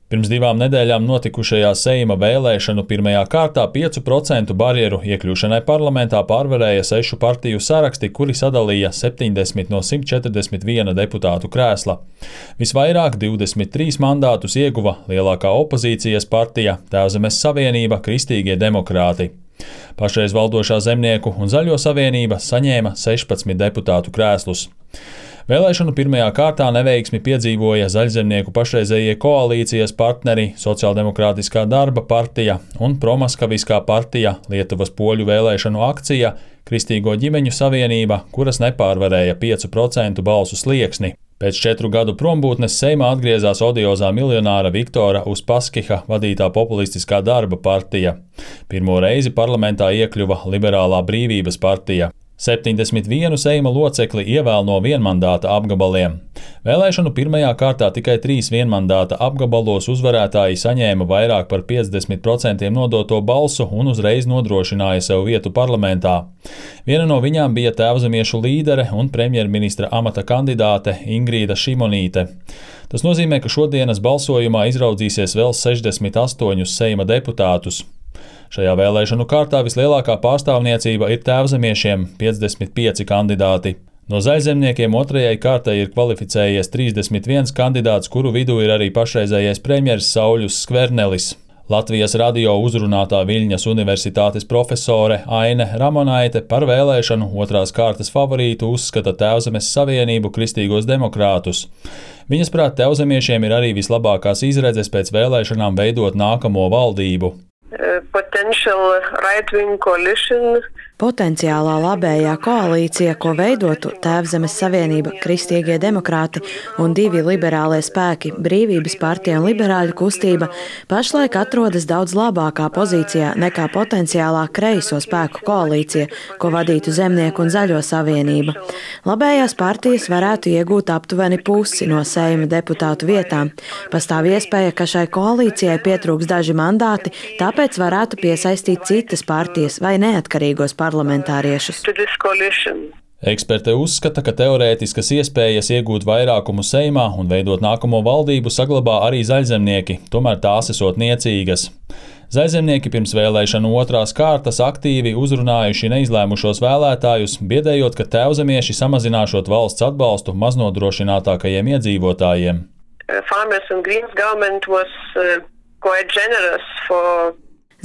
Pirms 2 nedēļām notikušajā Seima vēlēšanu pirmajā kārtā 5% barjeru iekļūšanai parlamentā pārvarēja 6 partiju saraksti, kuri sadalīja 70 no 141 deputātu krēsla. Visvairāk 23 mandātus ieguva lielākā opozīcijas partija Tēvzemes Savienība – Kristīgie demokrāti. Pašreiz valdošā Zemnieku un Zaļo savienība saņēma 16 deputātu krēslus. Vēlēšanu pirmajā kārtā neveiksmi piedzīvoja Zaļzemnieku pašreizējie koalīcijas partneri Sociāldemokrātiskā darba partija un promaskaviskā partija Lietuvas poļu vēlēšanu akcija Kristīgo ģimeņu savienība, kuras nepārvarēja 5% balsu slieksni. Pēc 4 gadu prombūtnes Seimā atgriezās odiozā miljonāra Viktora Uspaskiha vadītā populistiskā darba partija. Pirmo reizi parlamentā iekļuva Liberālā brīvības partija. 71 Seima locekli ievēl no vienmandāta apgabaliem. Vēlēšanu pirmajā kārtā tikai 3 vienmandāta apgabalos uzvarētāji saņēma vairāk par 50% nodoto balsu un uzreiz nodrošināja sev vietu parlamentā. Viena no viņām bija tēvzemiešu līdere un premjerministra amata kandidāte Ingrīda Šimonīte. Tas nozīmē, ka šodienas balsojumā izraudzīsies vēl 68 Seima deputātus. Šajā vēlēšanu kārtā vislielākā pārstāvniecība ir tēvzemiešiem – 55 kandidāti. No Zaļzemniekiem otrajai kārtai ir kvalificējies 31 kandidāts, kuru vidū ir arī pašreizējais premjers Sauļus Skvernelis. Latvijas radio uzrunātā Viļņas Universitātes profesore Aine Ramonaite par vēlēšanu otrās kārtas favorītu uzskata Tēvzemes Savienību – Kristīgos demokrātus. Viņas prāt, tēvzemiešiem ir arī vislabākās izredzes pēc vēlēšanām veidot nākamo valdību. Potenciālā labējā koalīcija, ko veidotu Tēvzemes Savienība, Kristīgie demokrāti un 2 liberālie spēki – Brīvības partija un Liberāļu kustība, pašlaik atrodas daudz labākā pozīcijā nekā potenciālā kreiso spēku koalīcija, ko vadītu Zemnieku un Zaļo savienība. Labējās partijas varētu iegūt aptuveni pusi no Seima deputātu vietām. Pastāv iespēja, ka šai koalīcijai pietrūks daži mandāti, tāpēc varētu piesaistīt citas partijas vai neatkarīgos parlamentāriešus. Eksperte uzskata, ka teorētiskas iespējas iegūt vairākumu Seimā un veidot nākamo valdību saglabā arī zaļzemnieki, tomēr tās esot niecīgas. Zaļzemnieki pirms vēlēšanu otrās kārtas aktīvi uzrunājuši neizlēmušos vēlētājus, biedējot, ka tēvzemieši samazināšot valsts atbalstu maznodrošinātākajiem iedzīvotājiem.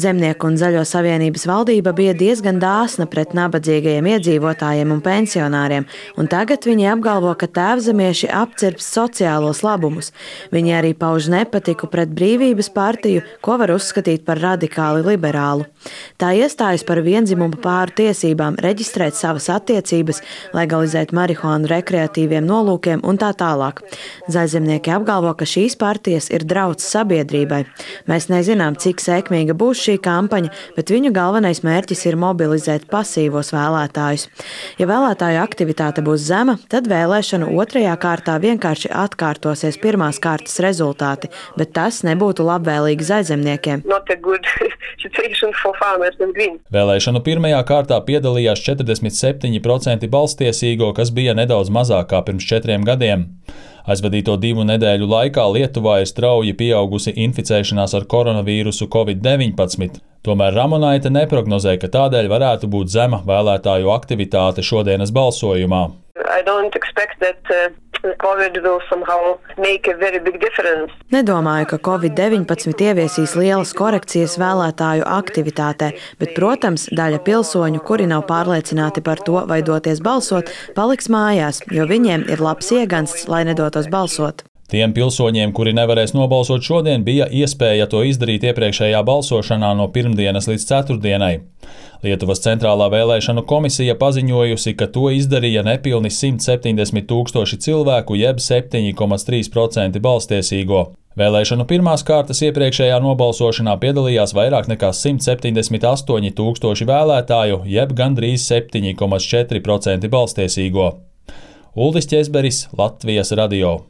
Zemnieku un Zaļo savienības valdība bija diezgan dāsna pret nabadzīgajiem iedzīvotājiem un pensionāriem, un tagad viņi apgalvo, ka tēvzemieši apcirps sociālos labumus. Viņi arī pauž nepatiku pret Brīvības partiju, ko var uzskatīt par radikāli liberālu. Tā iestājas par viendzimumu pāru tiesībām, reģistrēt savas attiecības, legalizēt marihuānu rekreatīviem nolūkiem un tā tālāk. Zaļzemnieki apgalvo, ka šīs partijas ir drauds sabiedrībai. Mēs nezinām, cik sekmīga būs šī kampaņa, bet viņu galvenais mērķis ir mobilizēt pasīvos vēlētājus. Ja vēlētāju aktivitāte būs zema, tad vēlēšanu otrajā kārtā vienkārši atkārtosies pirmās kārtas rezultāti, bet tas nebūtu labvēlīgi zaļzemniekiem. Vēlēšanu pirmajā kārtā piedalījās 47% balstiesīgo, kas bija nedaudz mazāk kā pirms 4 gadiem. Aizvadīto 2 nedēļu laikā Lietuvā ir strauji pieaugusi inficēšanās ar koronavīrusu COVID-19. Tomēr Ramonaite neprognozē, ka tādēļ varētu būt zema vēlētāju aktivitāte šodienas balsojumā. Nedomāju, ka Covid-19 ieviesīs lielas korekcijas vēlētāju aktivitātē, bet, protams, daļa pilsoņu, kuri nav pārliecināti par to, vai doties balsot, paliks mājās, jo viņiem ir labs iegansts, lai nedotos balsot. Tiem pilsoņiem, kuri nevarēs nobalsot šodien, bija iespēja to izdarīt iepriekšējā balsošanā no pirmdienas līdz ceturtdienai. Lietuvas centrālā vēlēšanu komisija paziņojusi, ka to izdarīja nepilni 170 000 cilvēku, jeb 7,3% balstiesīgo. Vēlēšanu pirmās kārtas iepriekšējā nobalsošanā piedalījās vairāk nekā 178 000 vēlētāju, jeb gandrīz 7,4% balstiesīgo. Uldis Ķezberis, Latvijas radio.